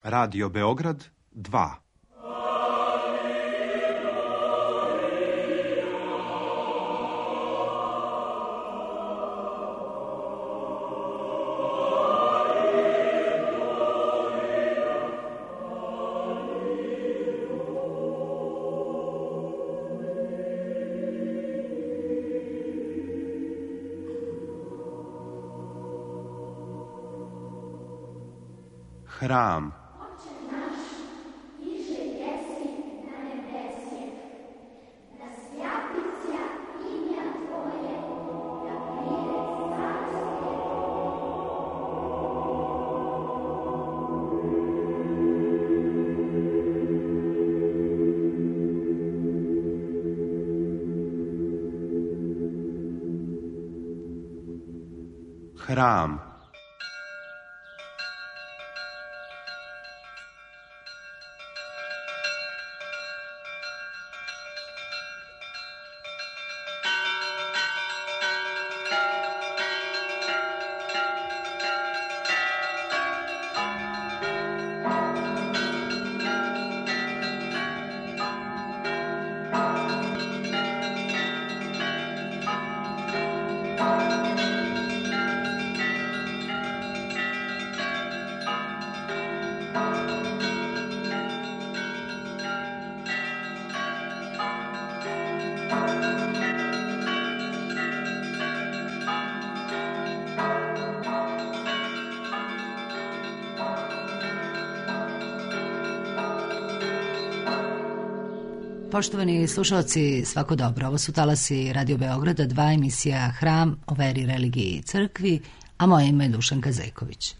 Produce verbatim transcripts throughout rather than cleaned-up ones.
Radio Beograd dva. Hram. Hram. Poštovani slušalci, svako dobro. Ovo su talasi Radio Beograda, dva emisija Hram o veri, religiji i crkvi, a moje ime je Dušanka Zejković.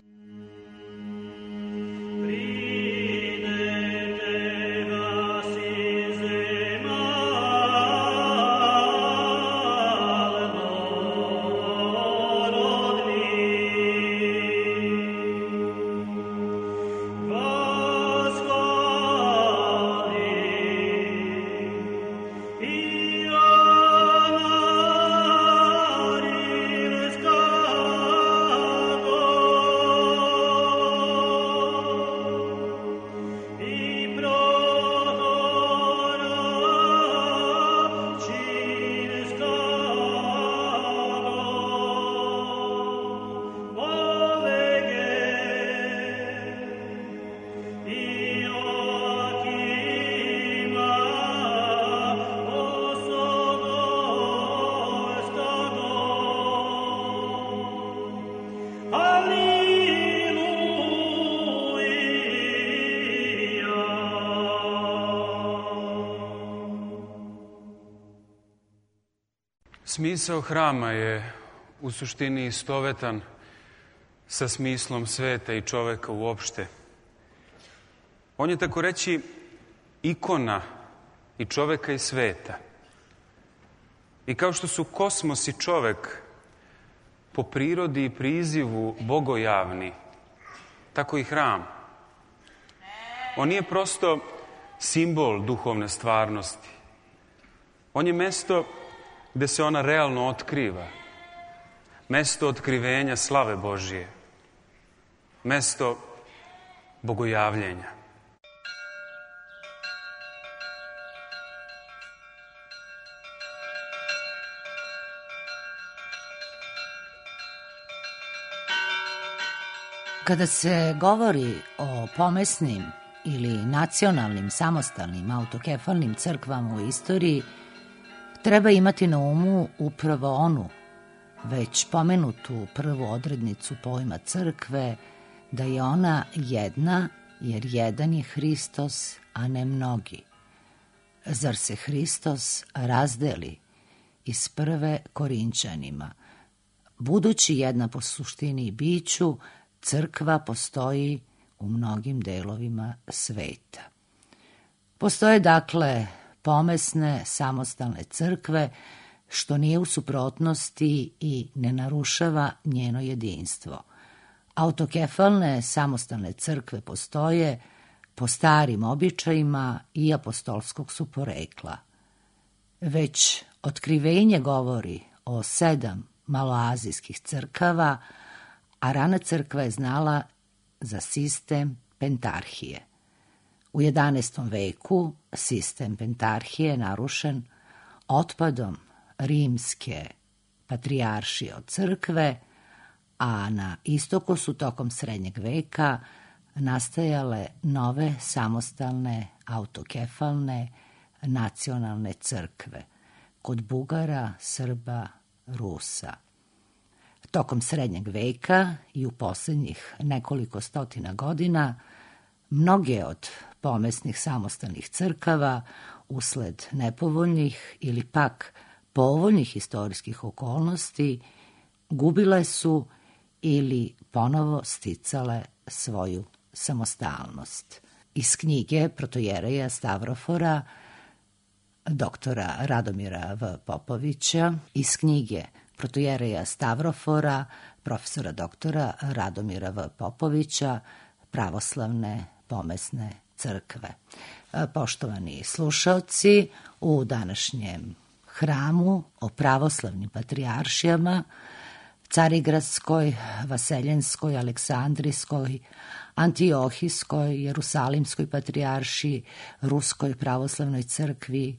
Smisao hrama je u suštini istovetan sa smislom sveta i čoveka uopšte. On je, tako reći, ikona i čoveka i sveta. I kao što su kosmos i čovek po prirodi i prizivu bogojavni, tako i hram. On nije prosto simbol duhovne stvarnosti. On je mesto gde se ona realno otkriva. Mesto otkrivenja slave Božije. Mesto bogojavljenja. Kada se govori o pomesnim ili nacionalnim, samostalnim, autokefalnim crkvama u istoriji, treba imati na umu upravo onu, već pomenutu prvu odrednicu pojma crkve, da je ona jedna, jer jedan je Hristos, a ne mnogi. Zar se Hristos razdeli iz prve Korinćanima? Budući jedna po suštini i biću, crkva postoji u mnogim delovima sveta. Postoje dakle pomesne, samostalne crkve, što nije u suprotnosti i ne narušava njeno jedinstvo. Autokefalne, samostalne crkve postoje po starim običajima i apostolskog su porekla. Već otkrivenje govori o sedam maloazijskih crkava, a rana crkva je znala za sistem pentarhije. U jedanaestom veku sistem pentarhije je narušen otpadom rimske patrijaršije od crkve, a na istoku su tokom srednjeg veka nastajale nove samostalne autokefalne nacionalne crkve kod Bugara, Srba, Rusa. Tokom srednjeg veka i u posljednjih nekoliko stotina godina mnoge od pomesnih samostalnih crkava usled nepovoljnih ili pak povoljnih istorijskih okolnosti gubile su ili ponovo sticale svoju samostalnost. Iz knjige protojereja Stavrofora, doktora Radomira V. Popovića, iz knjige protojereja Stavrofora, profesora doktora Radomira V. Popovića, pravoslavne pomesne crkve. Poštovani slušaoci, u današnjem hramu o pravoslavnim patrijaršijama, Carigradskoj, Vaseljenskoj, Aleksandrijskoj, Antiohijskoj, Jerusalimskoj patrijaršiji, Ruskoj pravoslavnoj crkvi,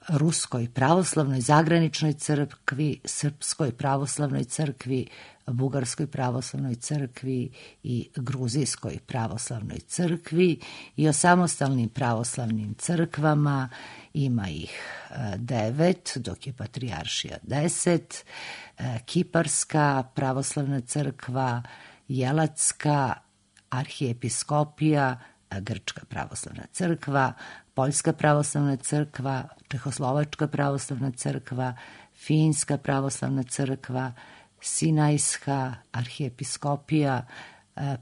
Ruskoj pravoslavnoj zagraničnoj crkvi, Srpskoj pravoslavnoj crkvi, Bugarskoj pravoslavnoj crkvi i Gruzijskoj pravoslavnoj crkvi i o samostalnim pravoslavnim crkvama, ima ih devet, dok je patrijaršija deset, Kiparska pravoslavna crkva, Jelatska arhijepiskopija, Grčka pravoslavna crkva, Poljska pravoslavna crkva, Čehoslovačka pravoslavna crkva, Finska pravoslavna crkva, Sinajska arhijepiskopija,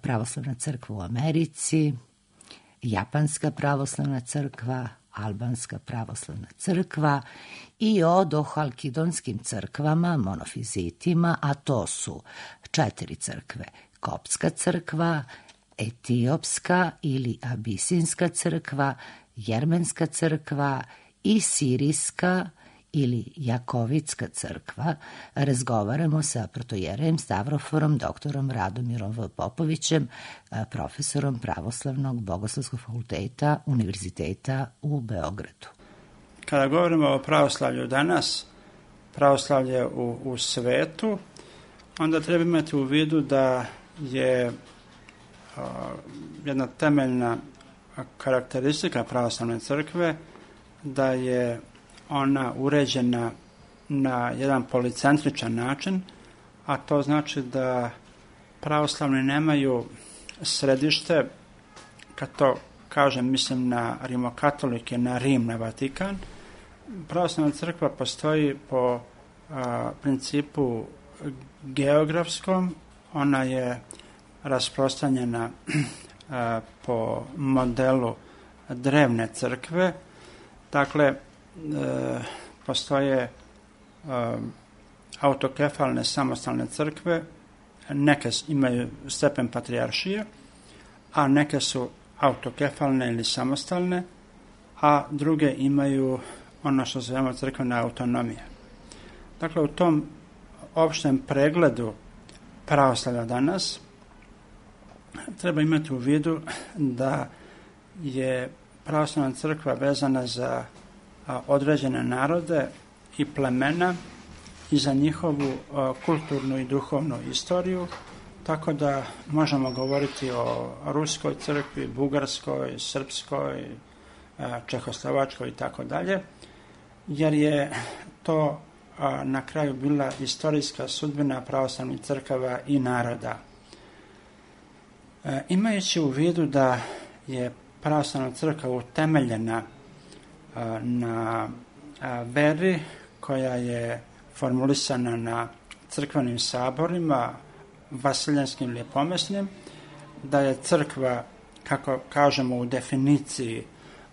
pravoslavna crkva u Americi, Japanska pravoslavna crkva, Albanska pravoslavna crkva i o dohalkidonskim crkvama, monofizitima, a to su četiri crkve: Koptska crkva, Etiopska ili Abisinska crkva, Jermenska crkva i Sirijska ili Jakovitska crkva. Razgovaramo sa protojerejem Stavroforom, doktorom Radomirom V. Popovićem, profesorom Pravoslavnog bogoslovskog fakulteta Univerziteta u Beogradu. Kada govorimo o pravoslavlju danas, pravoslavlje u, u svetu, onda treba imati u vidu da je a, jedna temeljna karakteristika pravoslavne crkve da je ona uređena na jedan policentričan način, a to znači da pravoslavni nemaju središte, kad to kažem, mislim na rimokatolike, na Rim, na Vatikan. Pravoslavna crkva postoji po a, principu geografskom, ona je rasprostranjena a, po modelu drevne crkve, dakle, E, postoje e, autokefalne samostalne crkve, neke imaju stepen patrijaršije, a neke su autokefalne ili samostalne, a druge imaju ono što zovemo crkvena autonomija. Dakle, u tom opštem pregledu pravoslavlja danas treba imati u vidu da je pravoslavna crkva vezana za određene narode i plemena i za njihovu kulturnu i duhovnu istoriju, tako da možemo govoriti o Ruskoj crkvi, Bugarskoj, Srpskoj, Čehoslovačkoj i tako dalje, jer je to na kraju bila istorijska sudbina pravoslavnih crkava i naroda. Imajući u vidu da je pravoslavna crkva utemeljena na veri koja je formulisana na crkvenim saborima, vasiljenskim ili pomesnim, da je crkva, kako kažemo u definiciji,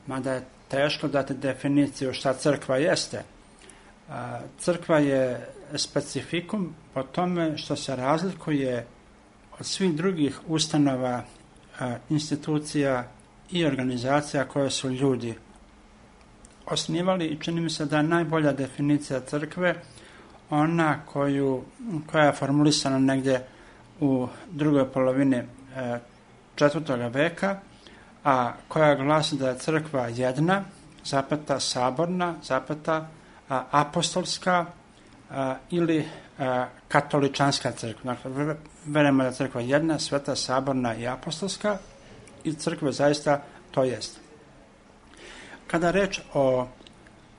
mada je teško dati definiciju šta crkva jeste, crkva je specifikum po tome što se razlikuje od svih drugih ustanova, institucija i organizacija koje su ljudi osnivali, i čini mi se da je najbolja definicija crkve ona koju, koja je formulisana negdje u drugoj polovini e, četvrtog veka, a koja glasi da je crkva jedna, zapeta saborna, zapeta a, apostolska a, ili a, katoličanska crkva. Dakle, verujemo da je crkva jedna, sveta, saborna i apostolska, i crkva zaista to jest. Kada reč o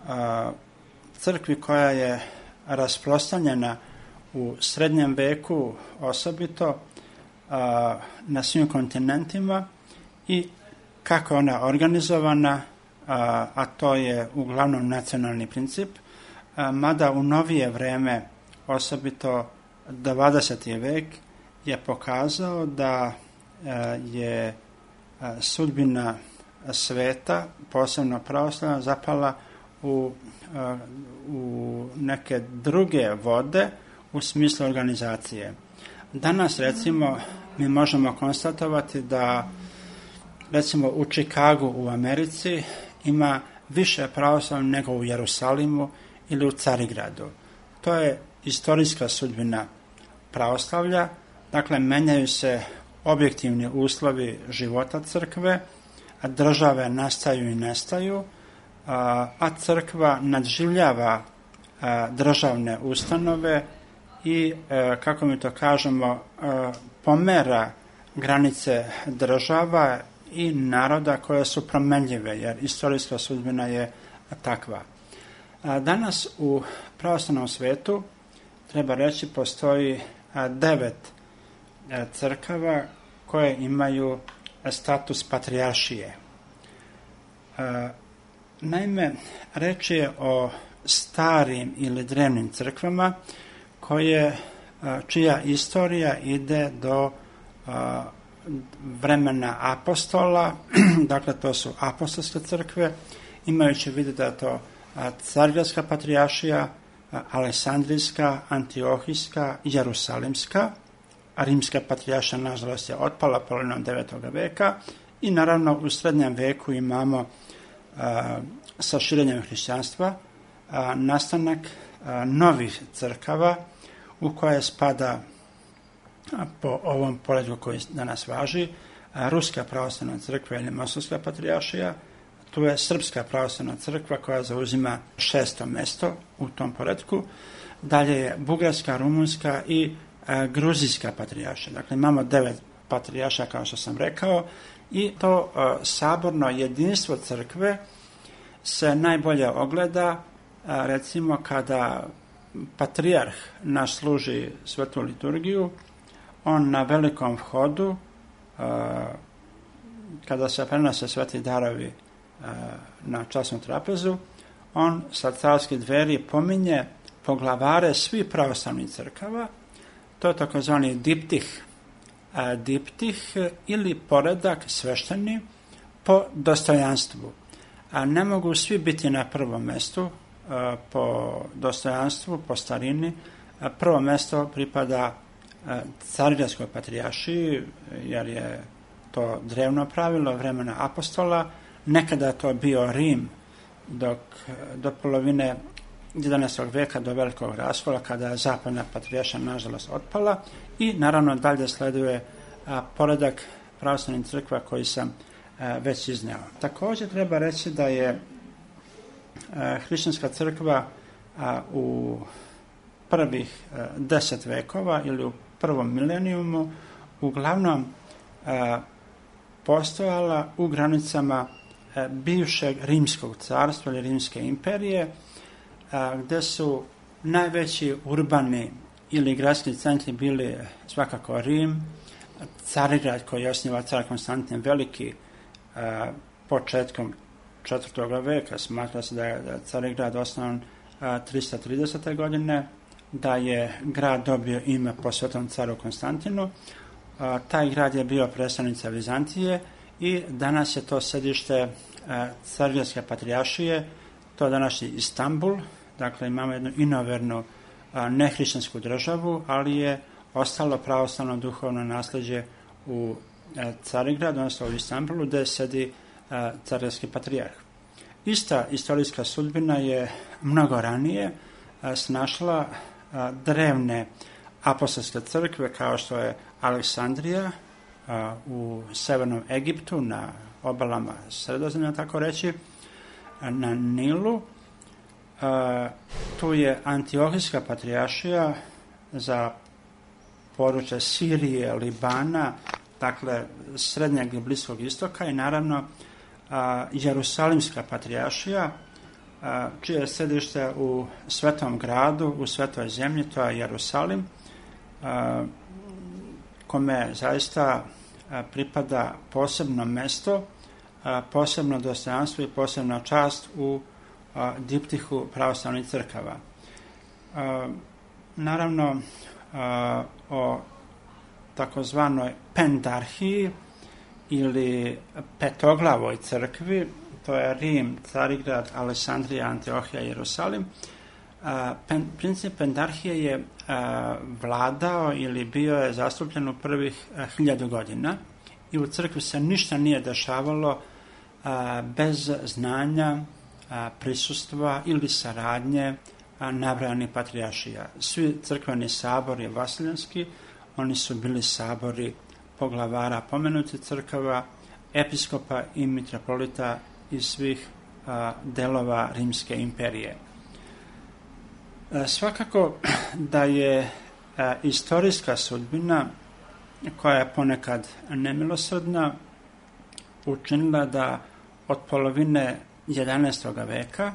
a, crkvi koja je rasprostranjena u srednjem veku osobito a, na svim kontinentima i kako je ona organizovana, a, a to je uglavnom nacionalni princip, a, mada u novije vreme, osobito dvadeseti vek, je pokazao da a, je a, sudbina sveta, posebno pravoslavna, zapala u, a, u neke druge vode u smislu organizacije. Danas, recimo, mi možemo konstatovati da, recimo, u Čikagu u Americi ima više pravoslavnih nego u Jerusalimu ili u Carigradu. To je istorijska sudbina pravoslavlja, dakle, menjaju se objektivni uslovi života crkve, a države nastaju i nestaju, a crkva nadživljava državne ustanove i, kako mi to kažemo, pomera granice država i naroda koje su promenljive, jer istorijska sudbina je takva. Danas u pravoslavnom svetu, treba reći, postoji devet crkava koje imaju status patrijaršije. Naime, reč je o starim ili drevnim crkvama koje, čija istorija ide do vremena apostola, dakle to su apostolske crkve, imajući vidu da je to Carigradska patrijaršija, Aleksandrijska, Antiohijska, Jerusalimska, a Rimska patrijaršija nažalost je otpala polovinom devetog veka i naravno u srednjem veku imamo a, sa širenjem hrišćanstva a, nastanak a, novih crkava u koje spada a, po ovom poretku koji danas važi a, Ruska pravoslavna crkva ili Moskovska patrijaršija. Tu je Srpska pravoslavna crkva koja zauzima šesto mesto u tom poretku. Dalje je Bugarska, Rumunska i a, Gruzijska patrijaršija. Dakle, imamo devet patrijaršija, kao što sam rekao, i to a, saborno jedinstvo crkve se najbolje ogleda, a, recimo, kada patrijarh naš služi svetu liturgiju, on na velikom vhodu, a, kada se prenose sveti darovi na časnu trapezu, on sa carskih dveri pominje poglavare svih pravoslavnih crkava, to je takozvani diptih, a, diptih ili poredak svešteni po dostojanstvu. A ne mogu svi biti na prvom mestu a, po dostojanstvu, po starini. A prvo mesto pripada a, Carigradskoj patrijaršiji, jer je to drevno pravilo vremena apostola. Nekada je to bio Rim, dok do polovine jedanaestog veka, do velikog raskola, kada je zapadna patrijaršija nažalost otpala, i naravno dalje sleduje a, poredak pravoslavnih crkva koji sam a, već izneo. Također treba reći da je a, hrišćanska crkva a, u prvih a, deset vekova ili u prvom milenijumu uglavnom a, postojala u granicama bivšeg Rimskog carstva ili Rimske imperije, a, gde su najveći urbani ili gradski centri bili svakako Rim, Carigrad koji je osnivao car Konstantin Veliki a, početkom četvrtog veka. Smatra se da je, da je Carigrad osnovan a, tristo tridesete godine, da je grad dobio ime po svetom caru Konstantinu. A, taj grad je bio predstavnica Vizantije i danas je to sedište Carigradske patrijaršije, to je današnji Istanbul. Dakle, imamo jednu inovernu nehrišćansku državu, ali je ostalo pravoslavno duhovno nasleđe u Carigradu, odnosno u Istanbulu, gde sedi Carigradski patrijarh. Ista istorijska sudbina je mnogo ranije snašla drevne apostolske crkve kao što je Aleksandrija, u severnom Egiptu, na obalama Sredozemlja, tako reći, na Nilu. Tu je Antiohijska patrijaršija za područje Sirije, Libana, dakle Srednjeg i Bliskog istoka, i naravno Jerusalimska patrijaršija, čije je središte u Svetom gradu, u Svetoj zemlji, to je Jerusalim, kome zaista pripada posebno mesto, posebno dostojanstvo i posebna čast u diptihu pravoslavnih crkava. Naravno, o takozvanoj pendarhiji ili petoglavoj crkvi, to je Rim, Carigrad, Aleksandrija, Antiohija i Jerusalim. Pen, princip pendarhije je a, vladao ili bio je zastupljen u prvih a, hiljadu godina i u crkvi se ništa nije dešavalo a, bez znanja, a, prisustva ili saradnje nabrajanih patrijaršija. Svi crkveni sabori vasiljanski, oni su bili sabori poglavara pomenutih crkava, episkopa i mitropolita iz svih a, delova Rimske imperije. E, svakako da je a, istorijska sudbina, koja je ponekad nemilosrdna, učinila da od polovine jedanaestog veka,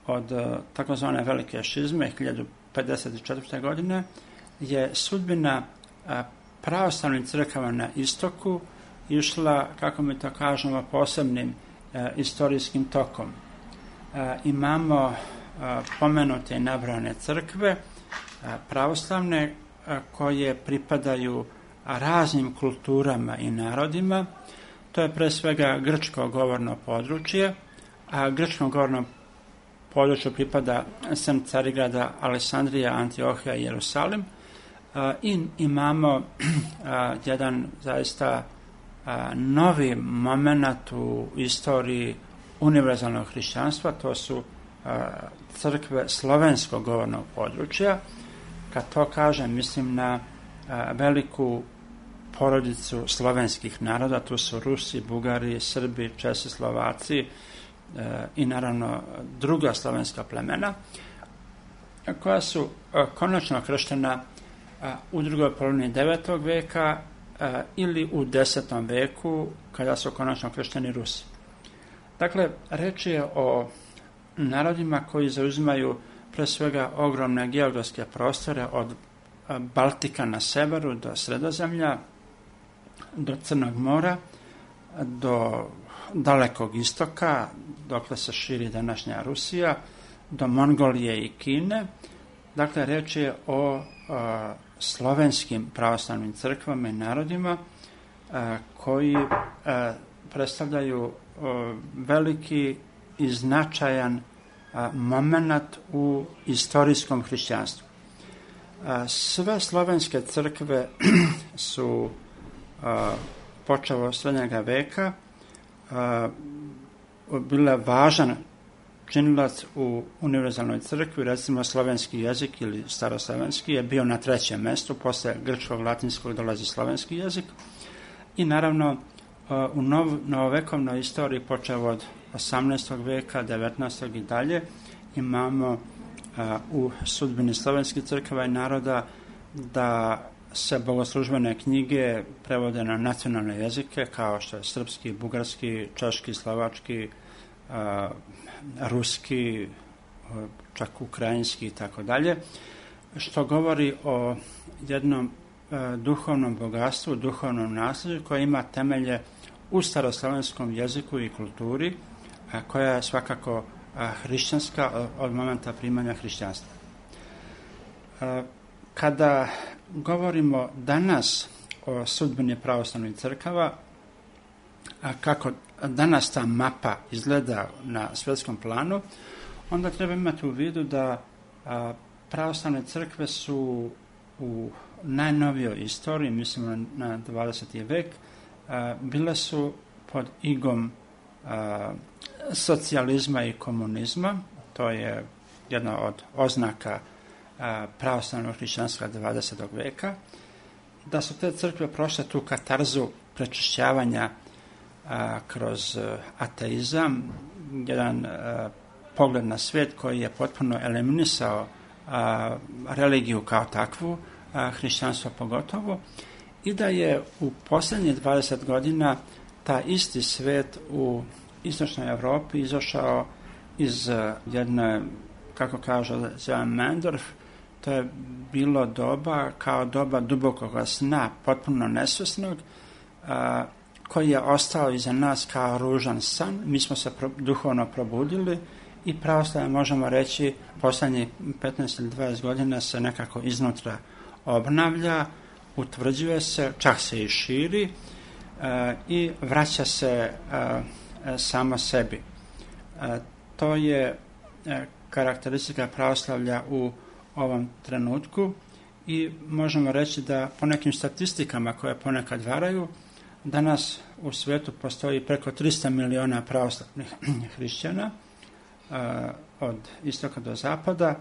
od takozvane velike šizme hiljadu pedeset četvrte. godine, je sudbina a, pravoslavnih crkava na istoku išla, kako mi to kažemo, posebnim e, istorijskim tokom. E, imamo e, pomenute i nabrojane crkve, e, pravoslavne, e, koje pripadaju raznim kulturama i narodima. To je pre svega grčko govorno područje, a grčkom govornom području pripada sem Carigrada, Aleksandrija, Antiohija i Jerusalim. E, I imamo e, jedan zaista a, novi moment u istoriji univerzalnog hrišćanstva, to su a, crkve slovenskog govornog područja. Kad to kažem, mislim na a, veliku porodicu slovenskih naroda, tu su Rusi, Bugari, Srbi, Česi, Slovaci a, i naravno druga slovenska plemena, koja su a, konačno krštena a, u drugoj polovini devetog veka a, ili u desetom veku, kada su konačno kršteni Rusi. Dakle, reč je o narodima koji zauzimaju pre svega ogromne geografske prostore od Baltika na severu do Sredozemlja, do Crnog mora, do dalekog istoka, dokle se širi današnja Rusija, do Mongolije i Kine. Dakle, reč je o a, slovenskim pravoslavnim crkvama i narodima a, koji a, predstavljaju a, veliki i značajan a, moment u istorijskom hrišćanstvu. A, sve slovenske crkve su a, počevo od srednjega veka a, bile važan činilac u univerzalnoj crkvi. Recimo, slovenski jezik ili staroslovenski je bio na trećem mestu, posle grčkog, latinskog dolazi slovenski jezik. I naravno, u nov, novovekovnoj istoriji, počeo od osamnaestog veka, devetnaestog i dalje, imamo a, u sudbini slovenskih crkava i naroda da se bogoslužbene knjige prevode na nacionalne jezike, kao što je srpski, bugarski, češki, slovački, a, ruski, čak ukrajinski i tako dalje, što govori o jednom a, duhovnom bogatstvu, duhovnom nasljeđu koje ima temelje u staroslovenskom jeziku i kulturi, a, koja je svakako a, hrišćanska od, od momenta primanja hrišćanstva. A, kada govorimo danas o sudbini pravoslavnih crkava, a kako danas ta mapa izgleda na svjetskom planu, onda treba imati u vidu da a, pravoslavne crkve su u najnovijoj istoriji, mislimo na dvadeseti vek, a, bile su pod igom a, socijalizma i komunizma. To je jedna od oznaka a, pravoslavnog hrišćanstva dvadesetog veka. da su te crkve prošle tu katarzu prečišćavanja a, kroz a, ateizam, jedan a, pogled na svijet koji je potpuno eliminisao a, religiju kao takvu, a, hrišćanstvo pogotovo, i da je u posljednjih dvadeset godina ta isti svijet u istočnoj Europi izašao iz jedne, kako kaže Mendorf, to je bilo doba kao doba dubokog sna, potpuno nesvjesnog, a, koji je ostao iza nas kao ružan san. Mi smo se pro, duhovno probudili i pravoslavlje, možemo reći, posljednjih petnaest ili dvadeset godina se nekako iznutra obnavlja, utvrđuje se, čak se i širi a, i vraća se a, a, samo sebi. A, to je a, karakteristika pravoslavlja u ovom trenutku i možemo reći da po nekim statistikama koje ponekad varaju, danas u svijetu postoji preko tristo miliona pravoslavnih hrišćana a, od istoka do zapada.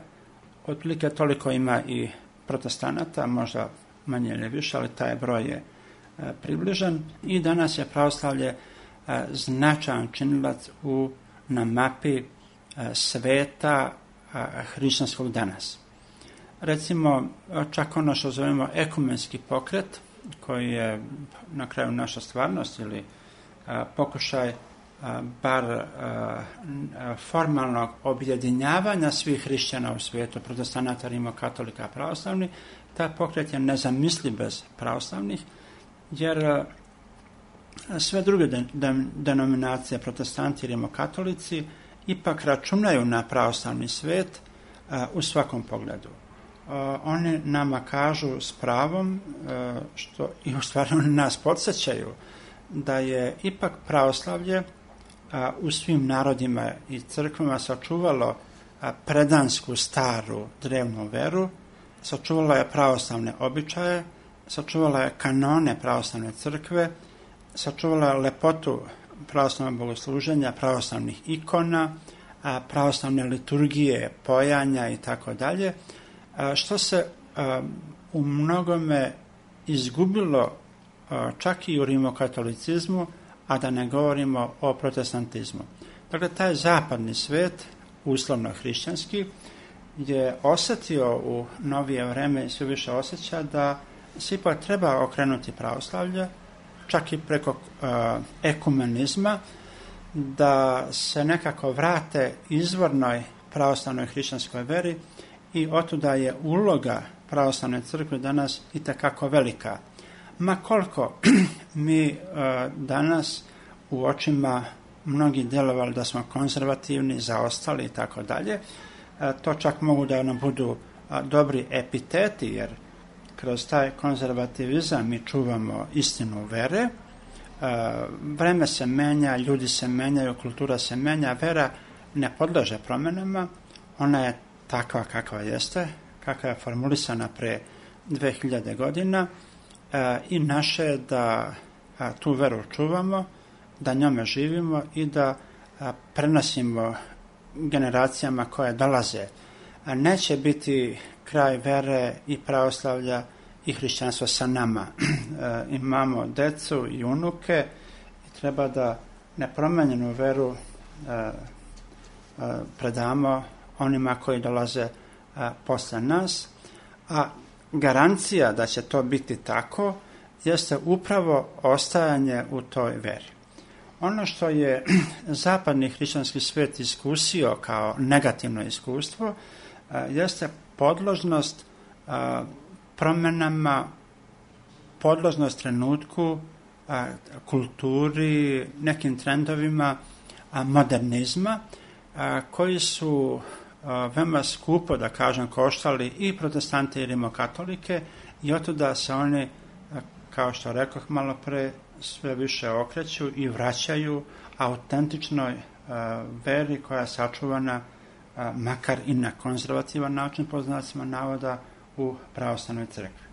Otprilike toliko ima i protestanata, možda manje ili više, ali taj broj je a, približan i danas je pravoslavlje a, značajan činilac u, na mapi a, sveta a, hrišćanskog danas. Recimo, čak ono što zovemo ekumenski pokret, koji je na kraju naša stvarnost ili a, pokušaj a, bar a, a, formalnog objedinjavanja svih hrišćana u svijetu, protestanata, rimokatolika, pravoslavnih, taj pokret je nezamisliv bez pravoslavnih, jer a, sve druge de, de, denominacije, protestanti i rimokatolici, ipak računaju na pravoslavni svijet a, u svakom pogledu. Uh, oni nama kažu s pravom, uh, što i u stvari oni nas podsjećaju, da je ipak pravoslavlje uh, u svim narodima i crkvama sačuvalo uh, predansku, staru, drevnu veru, sačuvalo je pravoslavne običaje, sačuvalo je kanone pravoslavne crkve, sačuvalo je lepotu pravoslavnog bogosluženja, pravoslavnih ikona, uh, pravoslavne liturgije, pojanja i tako dalje, što se a, u mnogome izgubilo a, čak i u rimokatolicizmu, a da ne govorimo o protestantizmu. Dakle, taj zapadni svijet, uslovno hrišćanski, je osjetio u novije vreme i sve više osjeća da se ipak treba okrenuti pravoslavlje, čak i preko a, ekumenizma, da se nekako vrate izvornoj pravoslavnoj hrišćanskoj veri. I otuda je uloga pravoslavne crkve danas itekako velika. Ma koliko mi uh, danas u očima mnogi djelovali da smo konzervativni, zaostali i tako dalje, to čak mogu da nam budu uh, dobri epiteti, jer kroz taj konzervativizam mi čuvamo istinu vere. Uh, vreme se menja, ljudi se menjaju, kultura se menja, vera ne podleže promjenama, ona je takva kakva jeste, kakva je formulisana pre dve hiljade godina e, i naše je da a, tu veru čuvamo, da njome živimo i da a, prenosimo generacijama koje dolaze. A neće biti kraj vere i pravoslavlja i hrišćanstva sa nama. E, imamo decu i unuke i treba da nepromenjenu veru e, e, predamo onima koji dolaze a, posle nas, a garancija da će to biti tako jeste upravo ostajanje u toj veri. Ono što je zapadni hrišćanski svijet iskusio kao negativno iskustvo a, jeste podložnost a, promjenama, podložnost trenutku, a, kulturi, nekim trendovima a, modernizma a, koji su veoma skupo, da kažem, koštali i protestante i rimokatolike i otuda se oni, kao što rekoh malo pre, sve više okreću i vraćaju autentičnoj uh, veri koja je sačuvana uh, makar i na konzervativan način, po znacima navoda, u pravoslavnoj crkvi.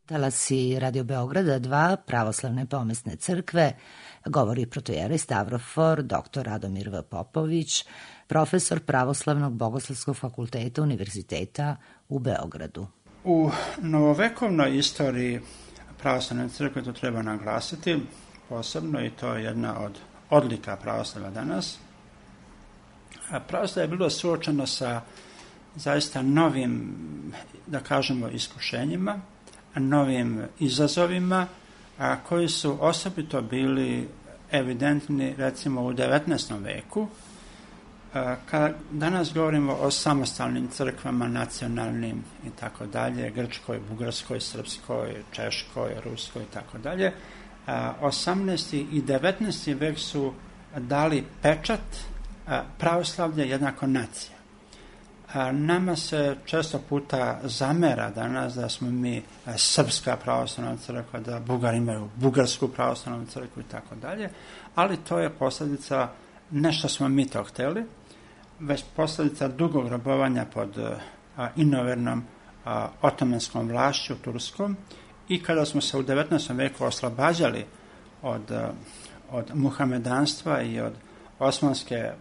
Talasi Radio Beograda dva, Pravoslavne pomesne crkve, govori protojerej Stavrofor, doktor Radomir V. Popović, profesor Pravoslavnog bogoslovskog fakulteta Univerziteta u Beogradu. U novovekovnoj istoriji pravoslavne crkve, to treba naglasiti posebno, i to je jedna od odlika pravoslava danas. Pravoslavo je bilo suočeno sa zaista novim, da kažemo, iskušenjima, novim izazovima, a koji su osobito bili evidentni recimo u devetnaestom veku. Kada danas govorimo o samostalnim crkvama, nacionalnim i tako dalje, grčkoj, bugarskoj, srpskoj, češkoj, ruskoj i tako dalje, osamnaesti i devetnaesti vek su dali pečat pravoslavlje jednako nacija. Nama se često puta zamera danas da smo mi srpska pravoslavna crkva, da Bugari imaju bugarsku pravoslavnu crkvu i tako dalje, ali to je posljedica, ne što smo mi to hteli, već posljedica dugog robovanja pod a, inovernom a, otomanskom vlašću turskom, i kada smo se u devetnaestom veku oslobađali od, a, od muhamedanstva i od osmanske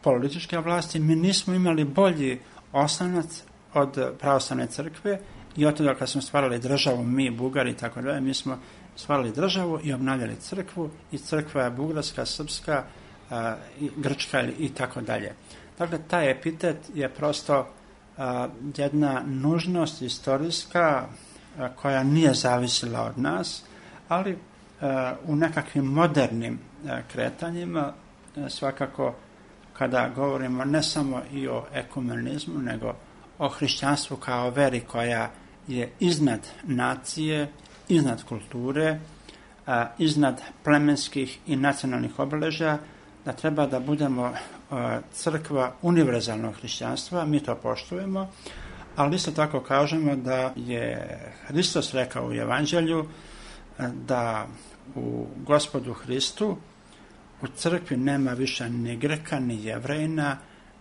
političke vlasti, mi nismo imali bolji oslonac od pravoslavne crkve, i od toga kad smo stvarali državu, mi, Bugari i tako dalje, mi smo stvarali državu i obnavljali crkvu, i crkva je bugarska, srpska, a, i grčka i tako dalje. Dakle, taj epitet je prosto a, jedna nužnost istorijska a, koja nije zavisila od nas, ali a, u nekakvim modernim a, kretanjima a, svakako kada govorimo ne samo i o ekumenizmu, nego o hrišćanstvu kao veri koja je iznad nacije, iznad kulture, a, iznad plemenskih i nacionalnih obeležja, da treba da budemo a, crkva univerzalnog hrišćanstva, mi to poštujemo, ali isto tako kažemo da je Hristos rekao u Evanđelju a, da u Gospodu Hristu u crkvi nema više ni Greka, ni Jevrejina,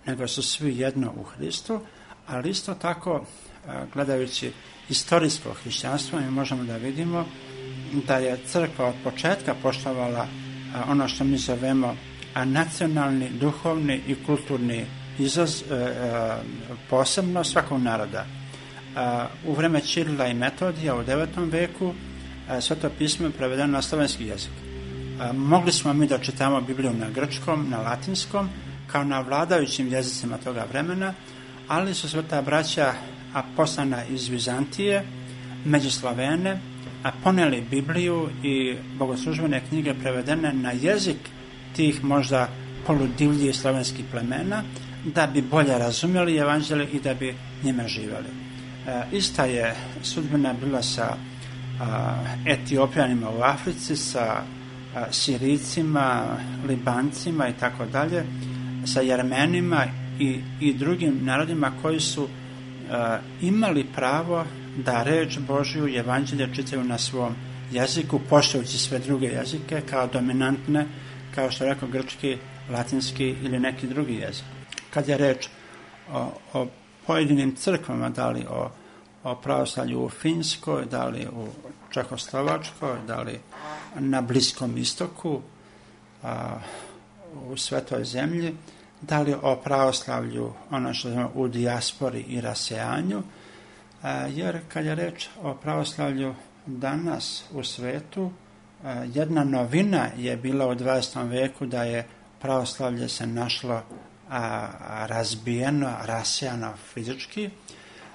nego su svi jedno u Hristu, ali isto tako, gledajući istorijsko hrišćanstvo, mi možemo da vidimo da je crkva od početka poštovala ono što mi zovemo nacionalni, duhovni i kulturni izaz, posebno svakog naroda. U vreme Ćirila i Metodija u devetom veku Sveto pismo je prevedeno na slovenski jezik. Mogli smo mi da čitamo Bibliju na grčkom, na latinskom, kao na vladajućim jezicima toga vremena, ali su sveta braća a poslana iz Vizantije, među Slavene, a poneli Bibliju i bogoslužbene knjige prevedene na jezik tih možda poludivljih slovenskih plemena, da bi bolje razumjeli evanđelje i da bi njime živjeli. E, ista je sudbina bila sa a, Etiopijanima u Africi, sa a, Sirijcima, Libancima i tako dalje, sa Jermenima i, i drugim narodima koji su a, imali pravo da reč Božju i evanđelje čitaju na svom jeziku, poštujući sve druge jezike kao dominantne, kao što je rekao grčki, latinski ili neki drugi jezik. Kad je reč o, o pojedinim crkvama, da li o, o pravoslavlju u Finskoj, da li u Čehoslovačkoj, da li na Bliskom istoku, a, u Svetoj zemlji, da li o pravoslavlju ono što znamo u dijaspori i rasejanju, a, jer kad je reč o pravoslavlju danas u svetu, a, jedna novina je bila u dvadesetom veku da je pravoslavlje se našlo a, razbijeno, rasijano fizički.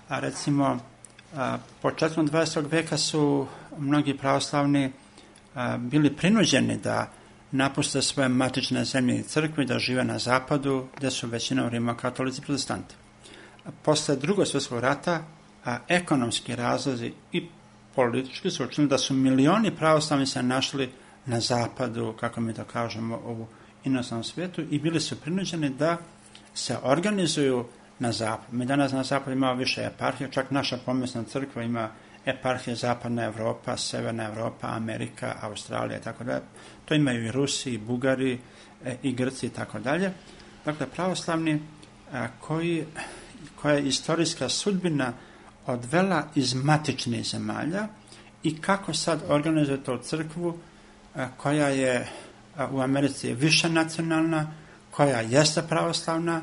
A recimo, a, početkom dvadesetog veka su mnogi pravoslavni a, bili prinuđeni da napuste svoje matične zemlje i crkve, da žive na zapadu, gdje su većinom rimokatolici protestanti. Posle drugog svjetskog rata, a, ekonomski razlozi i politički su učinili da su milioni pravoslavni se našli na zapadu, kako mi to kažemo, u inostrannom svijetu, i bili su prinuđeni da se organizuju na zapadu. Mi danas na zapadu imamo više eparhija, čak naša pomesna crkva ima eparhije Zapadna Evropa, Severna Evropa, Amerika, Australija i tako dalje. To imaju i Rusi, i Bugari, e, i Grci i tako dalje. Dakle, pravoslavni a, koji, koja je istorijska sudbina odvela iz matičnih zemalja i kako sad organizujete u crkvu koja je u Americi više nacionalna, koja jeste pravoslavna,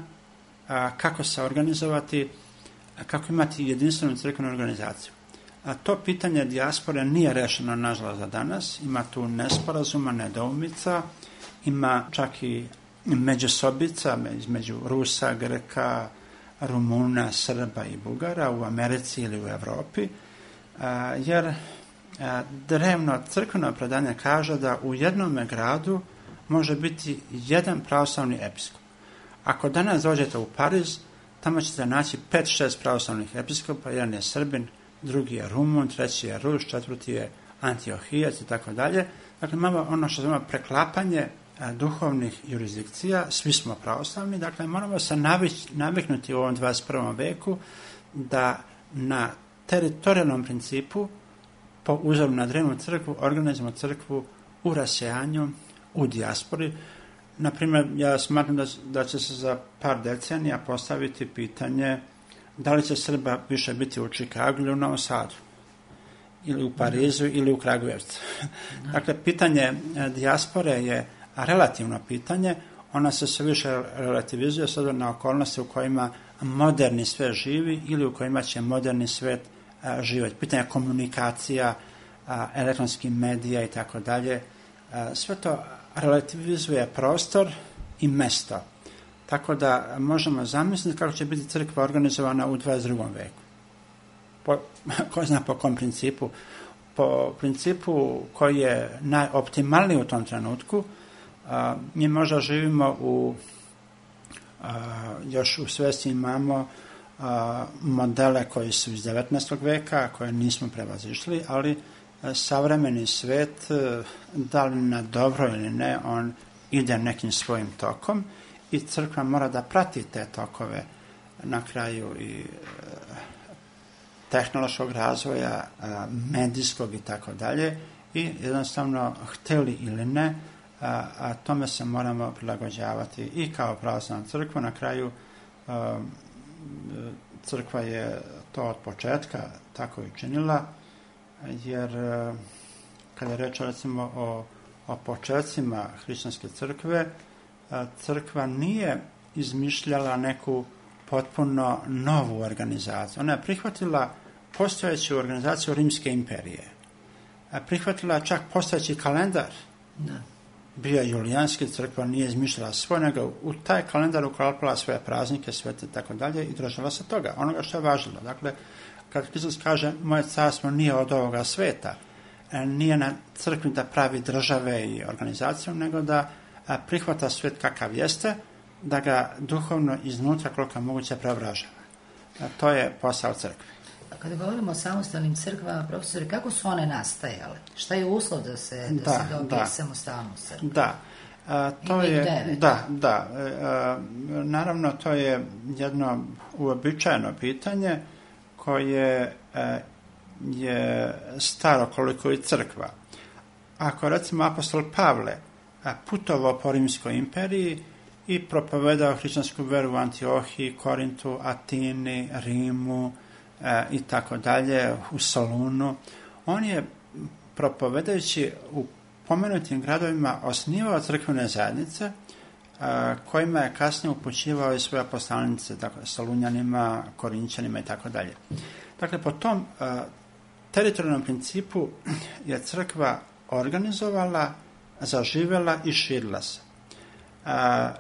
kako se organizovati, kako imati jedinstvenu crkvenu organizaciju. A to pitanje dijaspore nije rešeno, nažalost, za danas. Ima tu nesporazuma, nedoumica, ima čak i međusobica između Rusa, Greka, Rumuna, Srba i Bugara u Americi ili u Evropi, jer drevno crkveno predanje kaže da u jednom gradu može biti jedan pravoslavni episkop. Ako danas dođete u Pariz, tamo ćete naći pet šest pravoslavnih episkopa, jedan je Srbin, drugi je Rumun, treći je Rus, četvrti je Antiohijac i tako dalje. Dakle, imamo ono što zove preklapanje duhovnih jurisdikcija, svi smo pravoslavni, dakle moramo se navić, naviknuti u ovom dvadeset prvom veku da na teritorijalnom principu, po uzoru na drevnu crkvu, organizujemo crkvu u rasejanju, u dijaspori. Naprimjer, ja smatram da, da će se za par decenija postaviti pitanje da li će Srba više biti u Čikagu ili u Novom Sadu, ili u Parizu, ili u Kragujevcu. Dakle, pitanje dijaspore je relativno pitanje, ona se sve više relativizuje sada na okolnosti u kojima moderni svet živi ili u kojima će moderni svet živjeti. Pitanje komunikacija, elektronskih medija i tako dalje. Sve to relativizuje prostor i mesto. Tako da možemo zamisliti kako će biti crkva organizovana u dvadeset drugom veku. Po, ko zna po kom principu? Po principu koji je najoptimalniji u tom trenutku. A, mi možda živimo u, a, još u svesti imamo a, modele koji su iz devetnaestog veka, koje nismo prevazišli, ali a, savremeni svet, a, da li na dobro ili ne, on ide nekim svojim tokom i crkva mora da prati te tokove na kraju i a, tehnološkog razvoja, a, medijskog i tako dalje, i jednostavno hteli ili ne, A, a tome se moramo prilagođavati i kao pravoslavna crkva. Na kraju a, crkva je to od početka tako i činila, jer a, kada je reč recimo o, o početcima hrišćanske crkve, a, crkva nije izmišljala neku potpuno novu organizaciju. Ona je prihvatila postojeću organizaciju Rimske imperije. A prihvatila čak postojeći kalendar. Da. Bio je julijanski, crkva nije izmišljala svoj, nego u taj kalendar uklapala svoje praznike, svete i tako dalje i držala se toga, onoga što je važilo. Dakle, kad Hristos kaže moje carstvo nije od ovoga sveta, nije na crkvi da pravi države i organizaciju, nego da prihvata svet kakav jeste, da ga duhovno iznutra koliko moguće preobražava. To je posao crkve. Kada govorimo o samostalnim crkvama, profesori, kako su one nastajale? Šta je uslov da se, da, da se dobije da. samostalnost crkve? Da, a, to je, devet. da, da. A, naravno, to je jedno uobičajeno pitanje koje a, je staro koliko i crkva. Ako, recimo, apostol Pavle a, putovao po Rimskoj imperiji i propovedao hrišćansku veru u Antiohiji, Korintu, Atini, Rimu, E, i tako dalje, u Solunu, on je propovedajući u pomenutim gradovima osnivao crkvene zajednice a, kojima je kasnije upućivao i svoje poslanice, dakle, Solunjanima, Korinćanima i tako dalje. Dakle, po tom a, teritorijalnom principu je crkva organizovala, zaživela i širila se. A,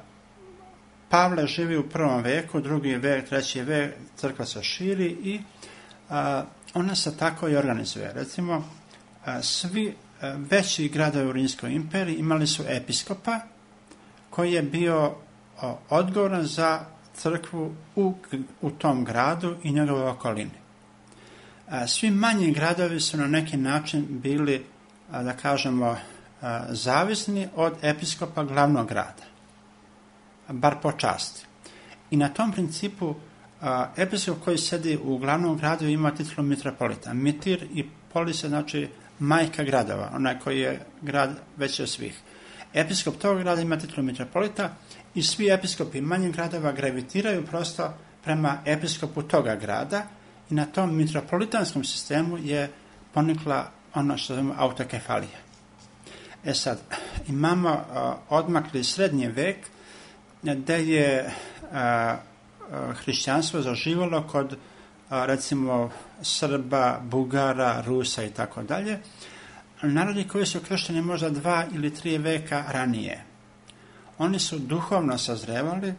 Pavle živi u prvom veku, drugi vek, treći vek, crkva se širi i a, ona se tako i organizuje. Recimo, a, svi a, veći gradovi u Rimskoj imperiji imali su episkopa koji je bio a, odgovoran za crkvu u, u tom gradu i njegove okolini. A, svi manji gradovi su na neki način bili, a, da kažemo, a, zavisni od episkopa glavnog grada, bar po časti. I na tom principu a, episkop koji sedi u glavnom gradu ima titulu mitropolita. Mitir i polis je, znači, majka gradova, onaj koji je grad veći od svih. Episkop tog grada ima titulu mitropolita i svi episkopi manjih gradova gravitiraju prosto prema episkopu toga grada i na tom mitropolitanskom sistemu je ponikla ono što zovemo autokefalija. E sad, imamo uh, odmakli srednji vek gde je uh, hrišćanstvo zaživalo kod uh, recimo Srba, Bugara, Rusa i tako dalje, narodi koji su kršteni možda dva ili tri veka ranije. Oni su duhovno sazrevali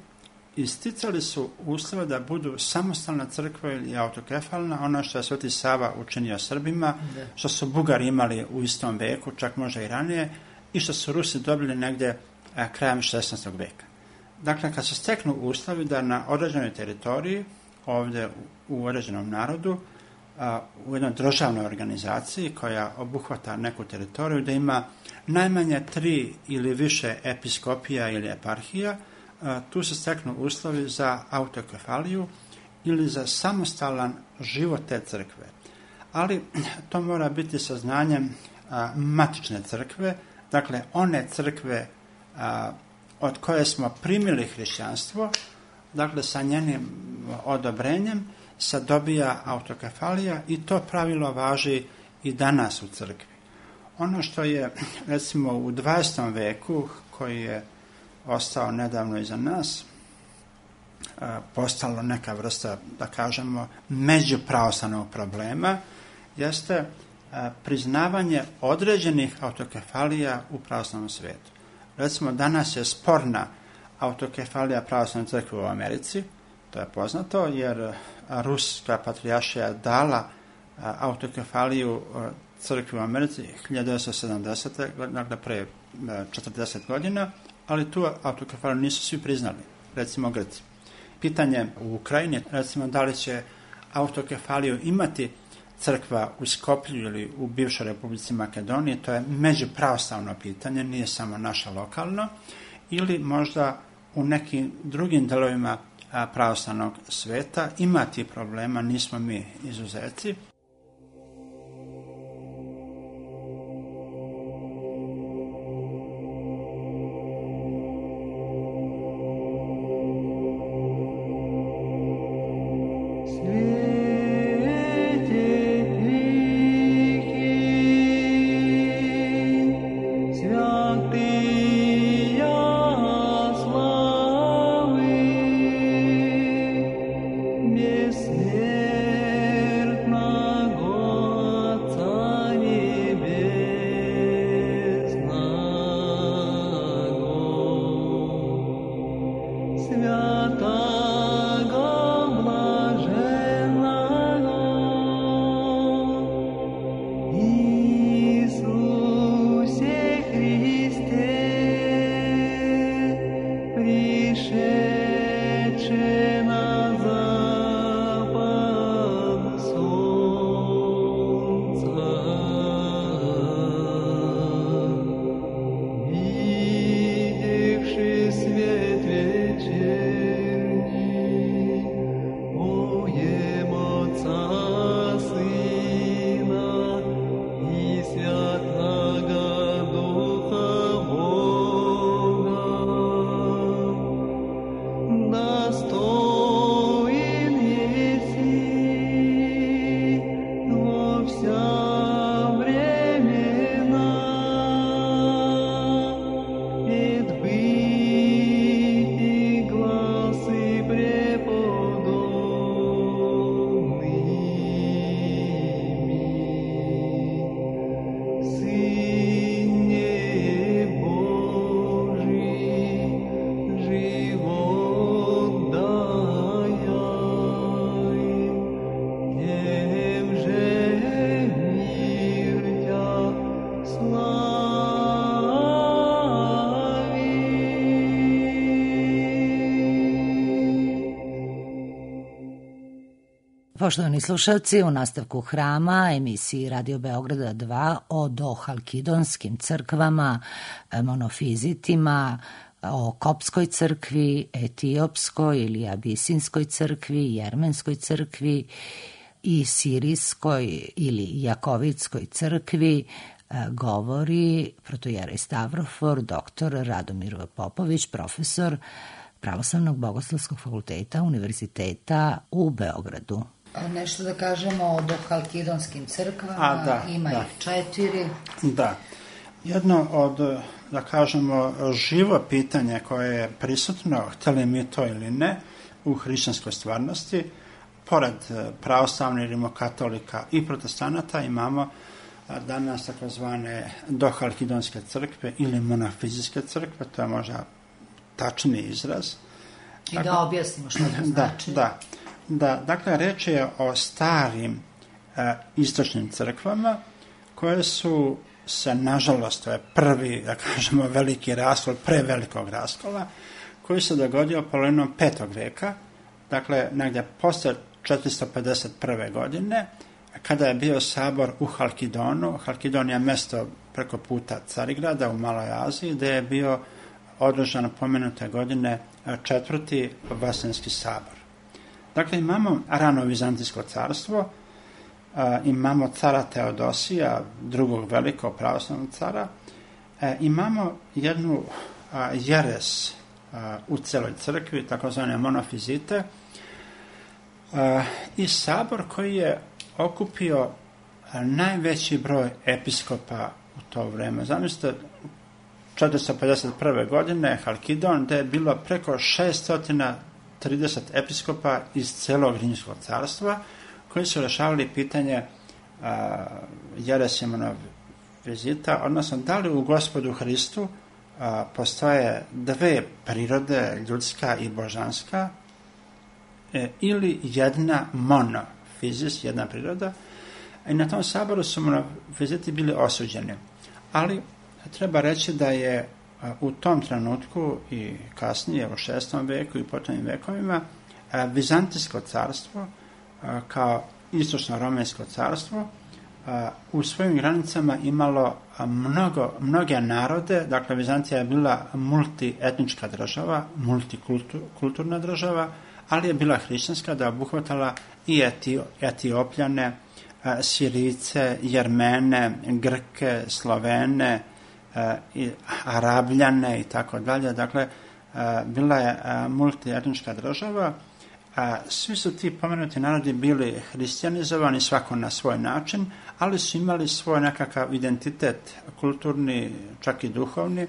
i sticali su uslove da budu samostalna crkva ili autokefalna, ono što je Sveti Sava učinio Srbima, što su Bugari imali u istom veku, čak možda i ranije, i što su Rusi dobili negdje a, krajem šesnaestog veka. Dakle, kad se steknu uslovi da na određenoj teritoriji, ovdje u, u određenom narodu, a, u jednoj državnoj organizaciji koja obuhvata neku teritoriju, da ima najmanje tri ili više episkopija ili eparhija, a, tu se steknu uslovi za autokefaliju ili za samostalan život te crkve. Ali to mora biti sa znanjem a, matične crkve, dakle one crkve a, od koje smo primili hrišćanstvo, dakle sa njenim odobrenjem se dobija autokefalija i to pravilo važi i danas u crkvi. Ono što je recimo u dvadesetom veku, koji je ostao nedavno iza nas, postalo neka vrsta, da kažemo, međupravoslavnog problema, jeste priznavanje određenih autokefalija u pravoslavnom svijetu. Recimo, danas je sporna autokefalija pravoslavne crkve u Americi, to je poznato, jer Ruska patrijaršija dala autokefaliju crkvi u Americi hiljadu devetsto sedamdesete. dakle pre četrdeset godina, ali tu autokefaliju nisu svi priznali, recimo Grci. Pitanje u Ukrajini, recimo, da li će autokefaliju imati crkva u Skoplju ili u bivšoj Republici Makedoniji, to je međupravoslavno pitanje, nije samo naše lokalno, ili možda u nekim drugim delovima pravoslavnog sveta imati problema, nismo mi izuzeci. Poštovani slušalci, u nastavku Hrama, emisiji Radio Beograda dva o dohalkidonskim crkvama, monofizitima, o Kopskoj crkvi, Etiopskoj ili Abisinskoj crkvi, Jermenskoj crkvi i Sirijskoj ili Jakovitskoj crkvi, govori protojerej Stavrofor, doktor Radomir V. Popović, profesor Pravoslavnog bogoslovskog fakulteta Univerziteta u Beogradu. Nešto da kažemo o dohalkidonskim crkvama, A, da, ima da. ih četiri. Da. Jedno od, da kažemo, živo pitanje koje je prisutno, hteli mi to ili ne, u hrišćanskoj stvarnosti, pored pravoslavnih, rimokatolika i protestanata imamo danas takozvane dohalkidonske crkve ili monofizijske crkve, to je možda tačni izraz. I dakle, da objasnimo što to znači. Da, da. Da, dakle, reč je o starim e, istočnim crkvama koje su se, nažalost, to je prvi, da kažemo, veliki raskol, prevelikog raskola, koji se dogodio polovinom petog veka, dakle, negdje posle četiristo pedeset prve. godine, kada je bio sabor u Halkidonu. Halkidon je mesto preko puta Carigrada u Maloj Aziji, gde je bio održan pomenute godine četvrti Vaseljenski sabor. Dakle, imamo rano Vizantijsko carstvo, a, imamo cara Teodosija, drugog velikog pravoslavnog cara, e, imamo jednu a, jeres a, u celoj crkvi, takozvane monofizite, a, i sabor koji je okupio a, najveći broj episkopa u to vreme. Zamislite, četiristo pedeset prve. godine Halkidon, gde je bilo preko šesto trideset episkopa iz celog Rimskog carstva, koji su rešavali pitanje a, jeresi monofizita, odnosno da li u Gospodu Hristu a, postoje dve prirode, ljudska i božanska, e, ili jedna monofizis, jedna priroda, i na tom saboru su monofiziti bili osuđeni. Ali treba reći da je u tom trenutku i kasnije u šestom veku i potomnim vekovima Vizantijsko carstvo kao istočno-romensko carstvo u svojim granicama imalo mnogo, mnoge narode. Dakle, Vizantija je bila multietnička država, multikulturna država, ali je bila hrišćanska, da obuhvatala i Etio, Etiopljane, Sirijce, Jermene, Grke, Slovene, i Arabljane i tako dalje. Dakle, bila je multietnička država. Svi su ti pomenuti narodi bili hrišćanizovani, svako na svoj način, ali su imali svoj nekakav identitet kulturni, čak i duhovni,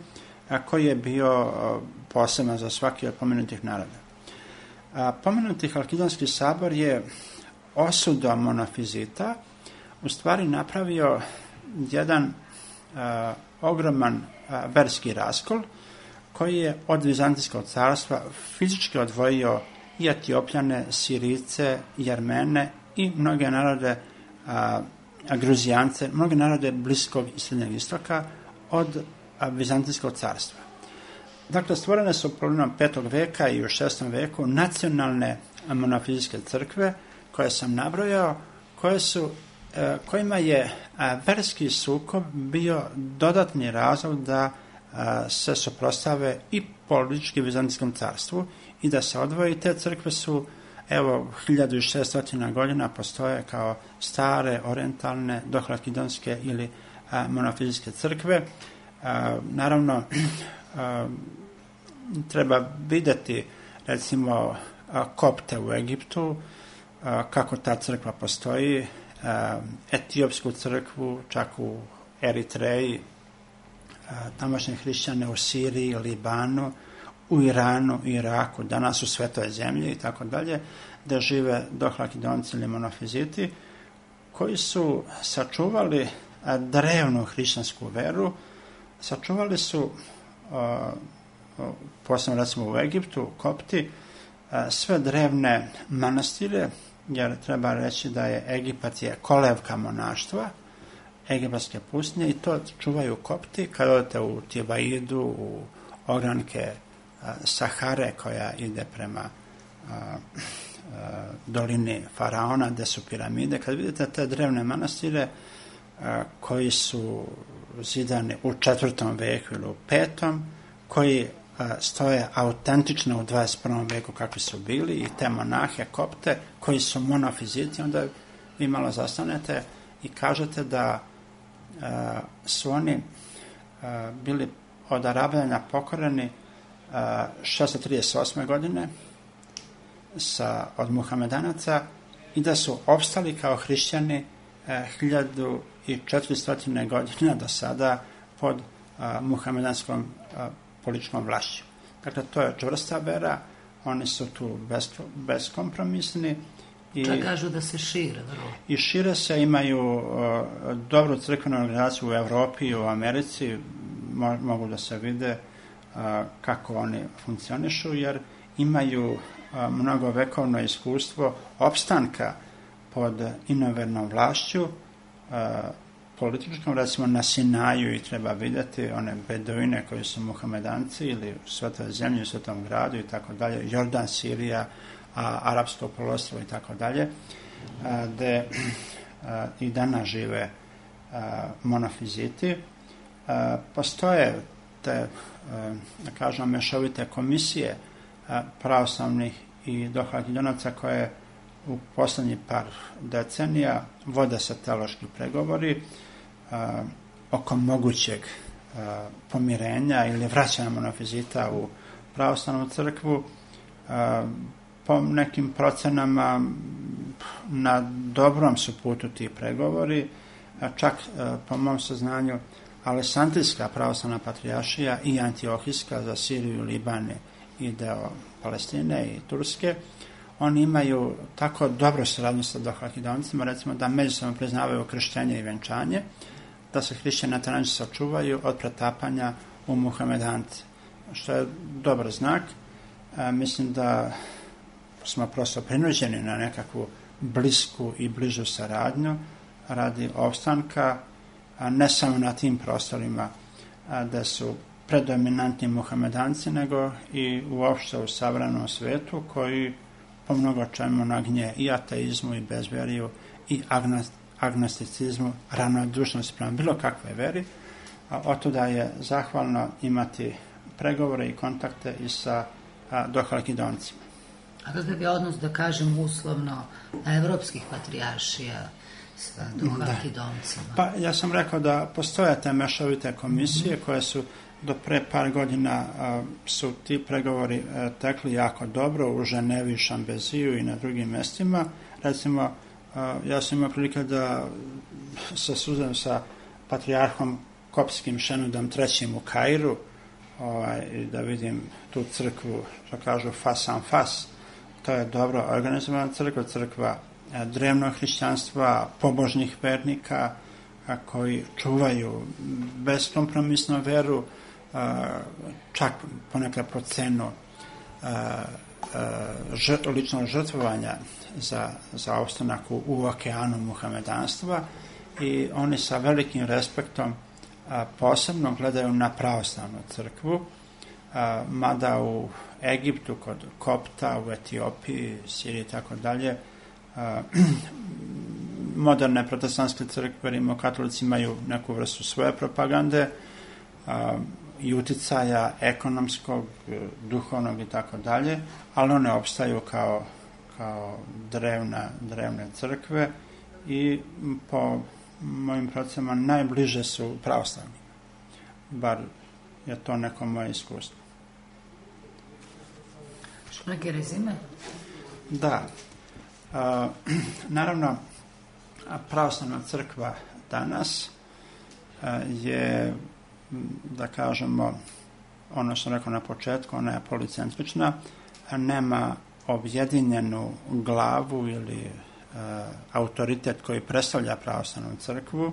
koji je bio poseban za svaki od pomenutih naroda. Pomenuti Halkidonski sabor je osudom monofizita u stvari napravio jedan ogroman a, verski raskol, koji je od Vizantijskog carstva fizički odvojio i Etiopljane, Sirijce, Jermene i mnoge narode, a, a Gruzijance, mnoge narode Bliskog i Srednjeg istoka od a, Vizantijskog carstva. Dakle, stvorene su polovinom petog veka i u šestom veku nacionalne monofizijske crkve, koje sam nabrojao, koje su kojima je verski sukob bio dodatni razlog da se suprotstave i politički Vizantijskom carstvu i da se odvoji. Te crkve su, evo, hiljadu šesto godina postoje kao stare, orientalne, dohalkidonske ili monofizijske crkve. Naravno, treba videti, recimo, kopte u Egiptu, kako ta crkva postoji, etiopsku crkvu, čak u Eritreji, tamošnje hrišćane u Siriji, Libanu, u Iranu, Iraku, danas u Svetoj zemlji i tako dalje, da žive dohalkidonci ili monofiziti, koji su sačuvali drevnu hrišćansku veru, sačuvali su, posebno recimo u Egiptu, Kopti, sve drevne manastire, jer treba reći da je Egipat je kolevka monaštva, egipatske pustinje, i to čuvaju Kopti. Kad odete u Tibaidu, u ogranke a, Sahare, koja ide prema a, a, dolini Faraona, gde su piramide, kad vidite te drevne manastire a, koji su zidani u četvrtom veku ili u petom, koji stoje autentično u dvadeset prvom veku kakvi su bili, i te monahe Kopte koji su monofiziti, onda vi malo zastanete i kažete da a, su oni a, bili od Arabljana pokoreni šesto trideset osme. godine sa, od Muhamedanaca, i da su opstali kao hrišćani hiljadu četiristo godina do sada pod a, muhamedanskom a, političkom vlašću. Dakle, to je čvrsta vera, oni su tu bez, beskompromisni. I, čak kažu da se šire, vrlo. I šire se, imaju a, dobru crkvenu organizaciju u Evropi i u Americi, mo, mogu da se vide a, kako oni funkcionišu, jer imaju a, mnogo vekovno iskustvo opstanka pod inovernom vlašću, a, političkom, recimo na Sinaju, i treba vidjeti one beduine koji su muhamedanci ili u Svetoj zemlji, u Svetom gradu i tako dalje, Jordan, Sirija, a, Arapsko poluostrvo i tako dalje, gde a, i danas žive a, monofiziti. A, postoje te, a, da kažem, mešovite komisije a, pravoslavnih i dohalidonaca koje u poslednjih par decenija vode se teološki pregovori a, oko mogućeg a, pomirenja ili vraćanja monofizita u pravoslavnu crkvu. A, po nekim procenama na dobrom su putu ti pregovori, a čak a, po mom saznanju Aleksandrijska pravoslavna patrijaršija i Antiohijska za Siriju, Liban i deo Palestine i Turske, oni imaju tako dobro saradnju sa dohalidoncima, recimo da međusobno priznavaju krštenje i venčanje, da se hrišćani na taj način sačuvaju od pretapanja u muhamedance, što je dobar znak. E, mislim da smo prosto prinuđeni na nekakvu blisku i bližu saradnju radi opstanka, a ne samo na tim prostorima a, da su predominantni muhamedanci, nego i uopšte u savremenom svetu koji po mnogo čemu nagnje i ateizmu i bezveriju i agnosticizmu, ravnodušnosti prema bilo kakve veri. Otuda je zahvalno imati pregovore i kontakte i sa dohalidoncima. A kakav je odnos, da kažem uslovno, evropskih patrijaršija sa dohalidoncima? Da. Pa ja sam rekao da postoje te mešovite komisije mm-hmm. koje su do pre par godina a, su ti pregovori a, tekli jako dobro u Ženevi, Šambeziju i na drugim mestima. Recimo, a, ja sam imao prilike da se susrem sa patrijarhom kopskim Šenudom trećim u Kairu, ovaj, i da vidim tu crkvu, što kažu fas an fas. To je dobro organizovana crkva, crkva a, drevnog hrišćanstva, pobožnih vernika a, koji čuvaju beskompromisnu veru, čak ponekad po cenu žrt, ličnog žrtvovanja za, za ostanak u, u okeanu muhamedanstva, i oni sa velikim respektom a, posebno gledaju na pravoslavnu crkvu, a, mada u Egiptu kod Kopta, u Etiopiji, Siriji i tako dalje, moderne protestantske crkve, rimokatolici imaju neku vrstu svoje propagande a, i uticaja ekonomskog, duhovnog i tako dalje, ali one opstaju kao, kao drevna, drevne crkve i po mojim procenama najbliže su pravoslavni. Bar je to neko moje iskustvo. Što neke rezime? Da. A, naravno, pravoslavna crkva danas a, je, da kažemo, ono što sam rekao na početku, ona je policentrična, nema objedinjenu glavu ili e, autoritet koji predstavlja pravoslavnu crkvu, e,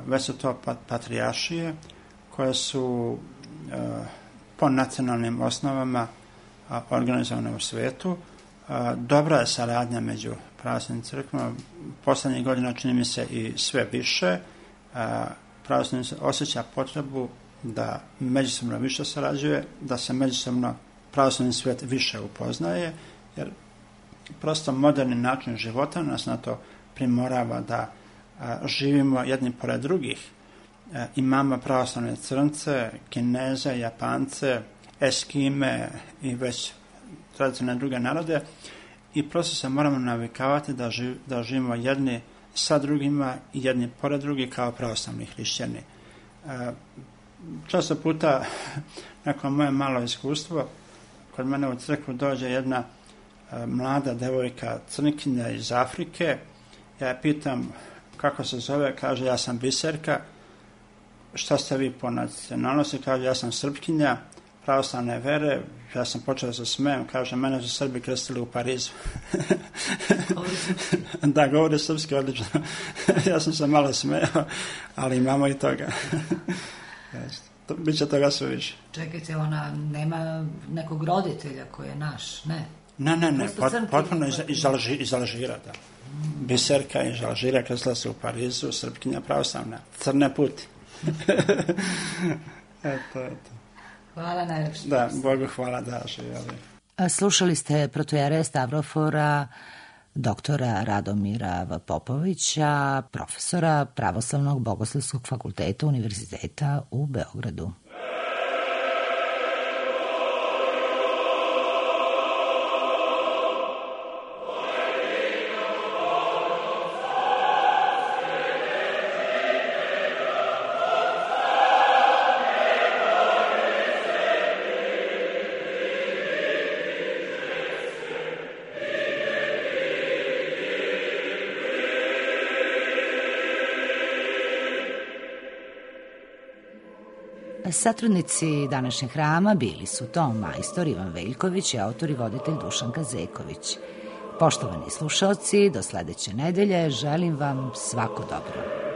već su to pat, patrijaršije koje su e, po nacionalnim osnovama a, organizovane u svetu. A, dobra je saradnja među pravoslavnim crkvama, poslednjih godina čini mi se i sve više. A, pravoslavni se osjeća potrebu da međusobno više sarađuje, da se međusobno pravoslavni svijet više upoznaje, jer prosto moderni način života nas na to primorava da a, živimo jedni pored drugih. A, imamo pravoslavne Crnce, Kineze, Japance, Eskime i već tradicionalne druge narode, i prosto se moramo navikavati da, živ, da živimo jedni sa drugima i jedni pored drugih kao pravoslavni hrišćani. E, često puta, neko moje malo iskustvo, kod mene u crkvu dođe jedna mlada devojka crnkinja iz Afrike. Ja je pitam kako se zove, kaže ja sam Biserka. Šta ste vi po nacionalnosti? Kaže ja sam Srpkinja, pravoslavne vere. Ja sam počeo da se smijem, kaže mene su Srbi krstili u Parizu. Da, govori srpski odlično. Ja sam se malo smijao, ali imamo i toga. To, biće toga sve više. Čekajte, ona nema nekog roditelja koji je naš, ne? Ne, ne, ne, pot, potpuno iz, iz, Alži, iz Alžira, da. Mm. Biserka iz Alžira krstila se u Parizu, Srpkinja pravoslavna, crne puti. Eto, eto. Hvala najlepše. Da, Bogu hvala da živjeli. Slušali ste protojere Stavrofora, doktora Radomira V. Popovića, profesora Pravoslavnog bogoslovskog fakulteta Univerziteta u Beogradu. Satrudnici današnjeg hrama bili su ton majstor Ivan Veljković i autor i voditelj Dušan Kazeković. Poštovani slušalci, do sledeće nedelje želim vam svako dobro.